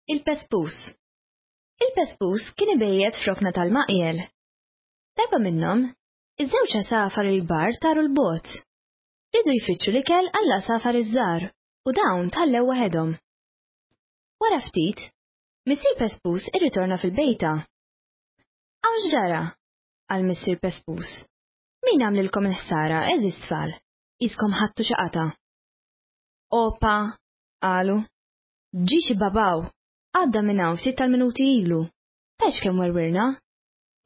Il-pespus. Il-pespus kien ibejjet f'rokna tal-maqjel. Darba minnhom, iż-żewġ għasafar il-kbar taru l-bogħod. Riedu jfittxu l-ikel għall-għasafar iż-żgħar u dawn tħallew waħedhom. Wara ftit, Missier Pespus irritorna fil-bejta. Hawn x'ġara? qal Missier Pespus. Min għamlilkom il-ħsara, għeżież tfal? Qiskom ħadtu xi qatgħa. Opa, qalu. Ġie xi babaw, għadda minn hawn ftit tal-minuti ilu. Tgħidx kemm werwirna.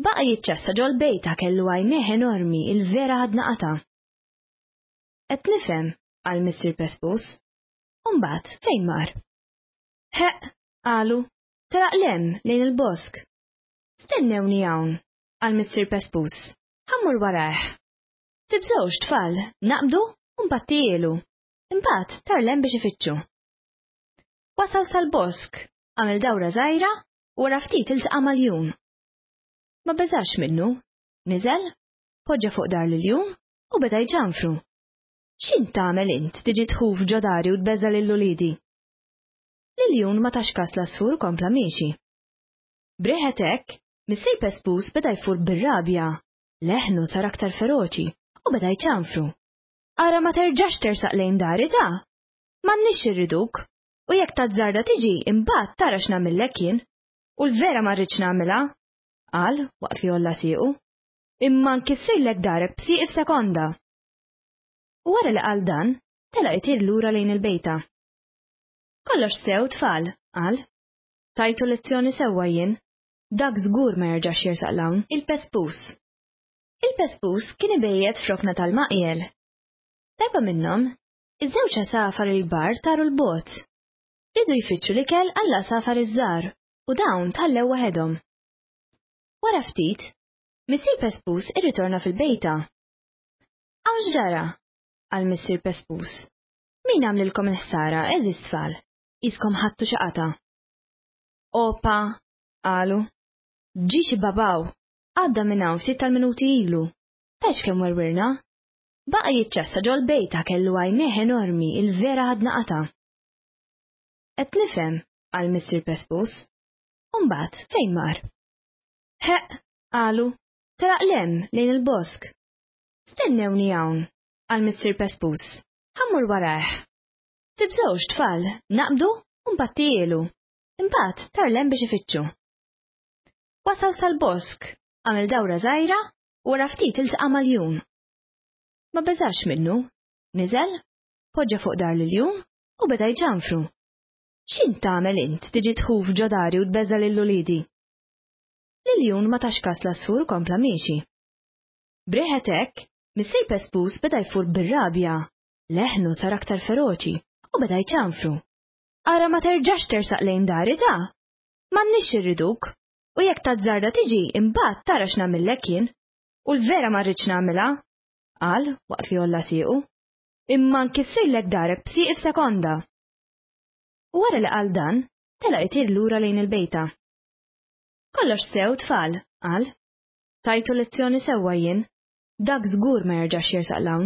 Baqa' jiċċassa ġol-bejta kellu għajnejh enormi il-vera ħadna qatgħa. Qed nifhem, qal Missier Pespus. U mbagħad fejn mar? Ħeqq, qalu, telaq 'l hemm lejn il-bosk. Stennewni hawn, qal Missier Pespus. Ħa mmur warajh. Tibżgħux, tfal, naqbdu u npattijielu. Imbagħad tar 'l hemm biex ifittxu. Wasal sal-bosk, għamel dawra żgħira u wara ftit iltaqa' ma' ljun. Ma beżax minnu, niżel, poġġa fuq dar l-iljun u beda jċanfru. X'int tagħmel int tiġi tħuf ġo dari u tbeżża' lil uliedi? L-iljun ma tax kas l-għasfur kompla miexi. B'riħet hekk, missier Pespus beda jfur bir-rabja, leħnu sar aktar feroċi u beda jċanfru. Ara ma terġax tersaq lejn dari ta'! M'għandniex irriduk, u jekk tazzarda tiġi imbagħad tara x'nagħmillek jien. U l-vera ma rridx nagħmilha, qal waqt li għolla siequ. Imma nkissirlek darek b'sieqi f'sekonda. U wara li qal dan, telaq itir lura lejn il-bejta. Kollox sew, tfal, qal. Tajtu lezzjoni sewwa jien. Dak żgur ma jerġax jersaq 'l hawn. Il-pespus. Il-pespus kien ibejjet f'rokna tal-maqjel. Darba minnhom, Iż-żewġ għasafar il-kbar taru 'l bogħod. Riedu jfittxu l-ikel għall-għasafar iż-żgħar u dawn tħallew waħedhom. Wara ftit, Missier Pespus irritorna fil-bejta. Hawn x'ġara? qal Missier Pespus. Min għamlilkom il-ħsara, għeżież tfal? Qiskom ħadtu xi qatgħa. Opa, qalu. Ġie xi babaw, għadda minn hawn ftit tal-minuti ilu. Tgħidx kemm werwirna? Baqa' jiċċassa ġol-bejta kellu għajnejh enormi il-vera ħadna qatgħa. Qed nifhem, qal Missier Pespus. U mbagħad fejn mar? Ħeqq, qalu, telaq 'l hemm lejn il-bosk. Stennewni hawn, qal Missier Pespus. Ħa mmur warajh. Tibżgħux, tfal, naqbdu u npattijielu. Imbagħad tar 'l hemm biex ifittxu. Wasal sal-bosk, għamel dawra żgħira u wara ftit iltaqa' ma' ljun. Ma beżax minnu, niżel, poġġa fuq dar l-iljun u beda jċanfru. X'int tagħmel int tiġi tħuf ġo dari u tbeżża' lil uliedi? L-iljun ma tax kas l-għasfur kompla miexi. B'riħet hekk, missier Pespus beda jfur bir-rabja, leħnu sar aktar feroċi u beda jċanfru. Ara ma terġax tersaq lejn dari ta'! M'għandniex irriduk, u jekk tazzarda tiġi imbagħad tara x'nagħmillek jien. U l-vera ma rridx nagħmilha, qal waqt li għolla siequ. Imma nkissirlek darek b'sieqi f'sekonda. U wara li qal dan, telaq itir lura lejn il-bejta. Kollox sew, tfal, qal. Tajtu lezzjoni sewwa jien. Dak żgur ma jerġax jersaq 'l hawn.